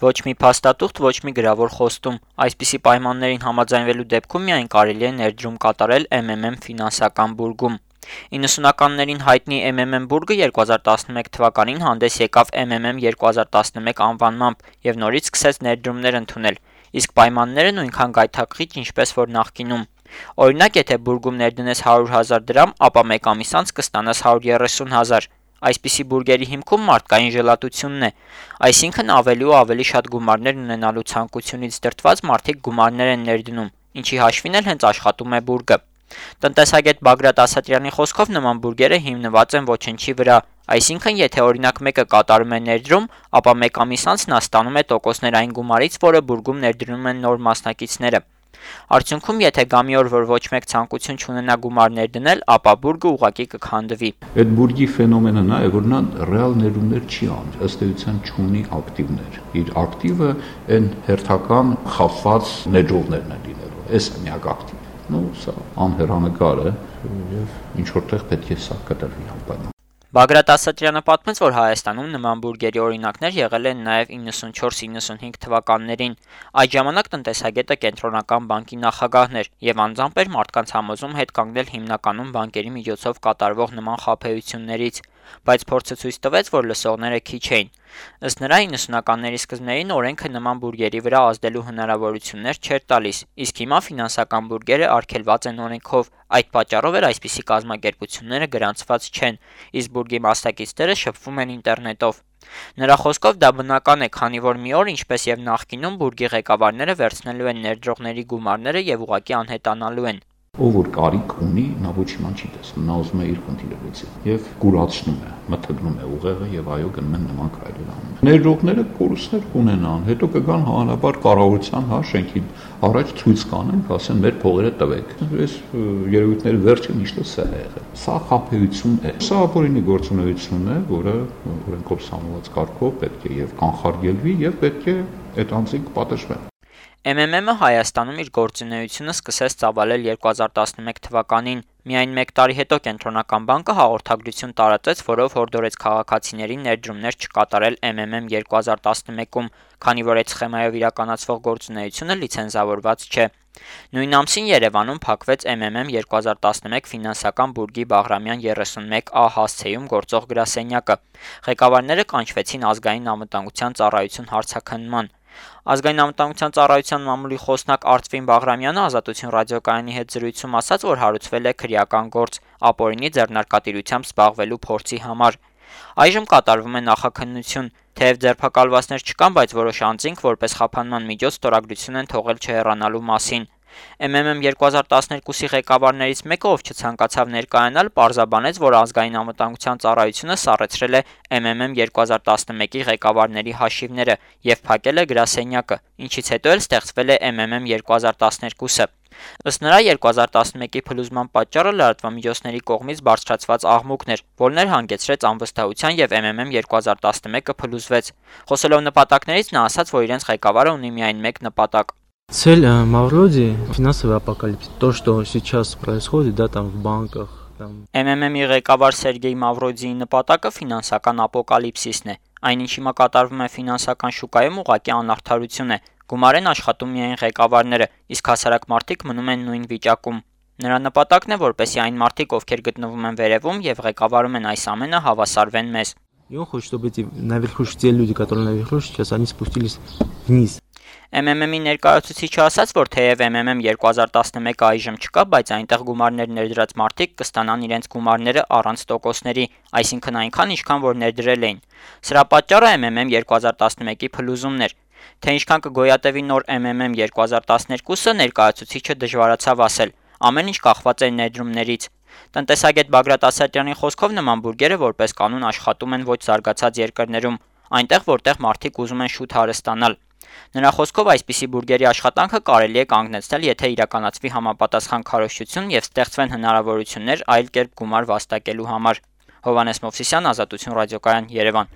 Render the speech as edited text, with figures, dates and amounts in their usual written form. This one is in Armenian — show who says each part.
Speaker 1: Ոչ մի փաստաթուղթ, ոչ մի գրավոր խոստում։ Այսպիսի պայմաններին համաձայնվելու դեպքում միայն կարելի է ներդրում կատարել MMM ֆինանսական բուրգում։ 90-ականներին հայտնի MMM բուրգը 2011 թվականին հանդես եկավ MMM 2011 անվանմամբ եւ նորից սկսեց ներդրումներ ընդունել, իսկ պայմանները նույնքան գայթակղիչ, ինչպես որ նախկինում։ Օրինակ, եթե բուրգում ներդնես 100,000 դրամ, ապա մեկ ամիս անց կստանաս 130,000։ Այսպիսի բուրգերի հիմքում մարդկային ժլատությունն է, այսինքն ավելի ու ավելի շատ գումարներ ունենալու ցանկությունից դրդված մարդիկ գումարներ են ներդնում, ինչի հաշվին էլ հենց աշխատում է բուրգը։ Տնտեսագետ Բագրատ Ասատրյանի խոսքով նման բուրգերը հիմնված են ոչնչի վրա, այսինքն եթե օրինակ մեկը կատարում է ներդրում, ապա մեկ ամիս անց նա ստանում է տոկոսներ այն գումարից, որը բուրգում ներդնում են նոր մասնակիցները։ Արդյունքում, եթե գա մի օր, որ ոչ մեկ ցանկություն չունենա գումար ներդնել, ապա բուրգը ուղղակի կքանդվի։
Speaker 2: Այդ բուրգի ֆենոմենը նա է, որ նա ռեալ ներդրումներ չի անում, ըստ էության չունի ակտիվներ։ Իր ակտիվը այն հերթական խախված ներդրողներն են լինելու։ Այս է միակ ակտիվը։ Սա անհեռանկար է եւ ինչ որտեղ պետք է սա կտրվի անպայման։
Speaker 1: Բագրատ Ասատրյանը պատմեց, որ Հայաստանում նման բուրգերի օրինակներ եղել են նաև 94-95 թվականներին։ Այդ ժամանակ տնտեսագետը կենտրոնական բանկի նախագահն էր եւ անձամբ էր մարդկանց համոզում հետ կանգնել հիմնականում բանկերի միջոցով կատարվող նման խաբեություններից, բայց փորձը ցույց տվեց, որ լսողները քիչ էին։ Ըստ նրա 90-ականների սկզբներին օրենքը նման բուրգերի վրա ազդելու հնարավորություններ չէր տալիս, իսկ հիմա ֆինանսական բուրգերը արգելված են օրենքով, այդ պատճառով էլ այսպիսի կազմակերպությունները գրանցված չեն, իսկ բուրգի մասնակիցները շփվում են ինտերնետով։ Նրա խոսքով դա բնական է, քանի որ մի օր, ինչպես եւ նախկինում, բուրգի ղեկավարները վերցնելու են ներդրողների գումարները եւ ուղղակի անհետանալու են։
Speaker 2: Ով որ կարիք ունի, նա ոչ իման չի տեսնում, նա ուզում է իր խնդիրը լուծել եւ կուրացնում է, մթգնում է ուղեղը եւ այո գնում են նման քայլեր անում։ Ներդրողները կորուստներ կունենան, հետո կգան հանրապար կառավարության, շենքի առաջ ցույց կանեն, ասեն մեր փողերը տվեք։ Այս երևույթների վերջը միշտ սա է եղել։ Սա խաբեություն է։ Սա ապօրինի գործունեություն է, որը օրենքով սահմանված կարգով պետք է եւ կանխարգելվի եւ պետք է այդ անձինք պատժվեն։
Speaker 1: MMM-ը Հայաստանում իր գործունեությունը սկսեց ծավալել 2011 թվականին։ Միայն մեկ տարի հետո Կենտրոնական բանկը հաղորդագրություն տարածեց, որով հորդորեց քաղաքացիներին ներդրումներ չկատարել MMM 2011-ում, քանի որ այդ սխեմայով իրականացվող գործունեությունը լիցենզավորված չէ։ Նույն ամսին Երևանում փակվեց MMM 2011 ֆինանսական բուրգի Բաղրամյան 31A հասցեում գործող գրասենյակը։ Ղեկավարները կանչվեցին ազգային անվտանգության ծառայություն հարցաքննման։ Ազգային անվտանգության ծառայության մամուլի խոսնակ Արծվին Բաղրամյանը Ազատություն ռադիոկայանի հետ զրույցում ասաց, որ հարուցվել է քրեական գործ ապօրինի ձեռնարկատիրությամբ զբաղվելու փորձի համար։ Այժմ կատարվում է նախաքննություն, թեև ձերբակալվածներ չկան, բայց որոշ անձինք որպես խափանման միջոց ստորագրություն են թողել չհեռանալու մասին։ MMM 2012-ի ղեկավարներից մեկը, ով չցանկացավ ներկայանալ, պարզաբանեց, որ ազգային անվտանգության ծառայությունը սառեցրել է MMM 2011-ի ղեկավարների հաշիվները եւ փակել է գրասենյակը, ինչից հետո էլ ստեղծվել է MMM 2012-ը։ Ըստ նրա 2011-ի փլուզման պատճառը լրատվամիջոցների կողմից բարձրացված աղմուկն էր, որն էլ հանգեցրեց անվստահության եւ MMM 2011-ը փլուզվեց։ Խոսելով նպատակներից նա ասաց, որ իրենց ղեկավարը ունի միայն մեկ նպատակ։
Speaker 3: Цель Мавроди – финансовый апокалипсис. То, что сейчас происходит, да, там в банках.
Speaker 1: MMM-ի ղեկավար Սերգեյ Մավրոդիի նպատակը ֆինանսական ապոկալիպսիսն է։ Այն, ինչ հիմա կատարվում է ֆինանսական շուկայում, ուղղակի անարդարություն է։ Գումար են աշխատում միայն ղեկավարները, իսկ հասարակ մարդիկ մնում են նույն վիճակում։ Նրա նպատակն է, որպեսզի այն մարդիկ, ովքեր գտնվում են վերևում եւ ղեկավարում են այս ամենը, հավասարվեն մեզ։
Speaker 3: И он хочет, чтобы эти наверху те люди, которые наверху сейчас, они спустились вниз.
Speaker 1: MMM-ի ներկայացուցիչը ասաց, որ թեև MMM 2011-ը այժմ չկա, բայց այնտեղ գումարներ ներդրած մարդիկ կստանան իրենց գումարները առանց տոկոսների, այսինքն այնքան, ինչքան որ ներդրել էին։ Սրա պատճառը MMM 2011-ի փլուզումն էր։ Թե ինչքան կգոյատևի նոր MMM 2012-ը ներկայացուցիչը դժվարացավ ասել։ Ամեն ինչ կախված է ներդրումներից։ Տնտեսագետ Բագրատ Ասատրյանի խոսքով նման բուրգերը որպես կանոն աշխատում են ոչ զարգացած երկրներում, այնտեղ որտեղ մարդիկ ուզում են շուտ հարստանալ։ Նրա խոսքով այսպիսի բուրգերի աշխատանքը կարելի է կանգնեցնել, եթե իրականացվի համապատասխան քարոզչություն եւ ստեղծվեն հնարավորություններ այլ կերպ գումար վաստակելու համար։ Հովհաննես Մովսիսյան, Ազատություն ռադիոկայան, Երևան։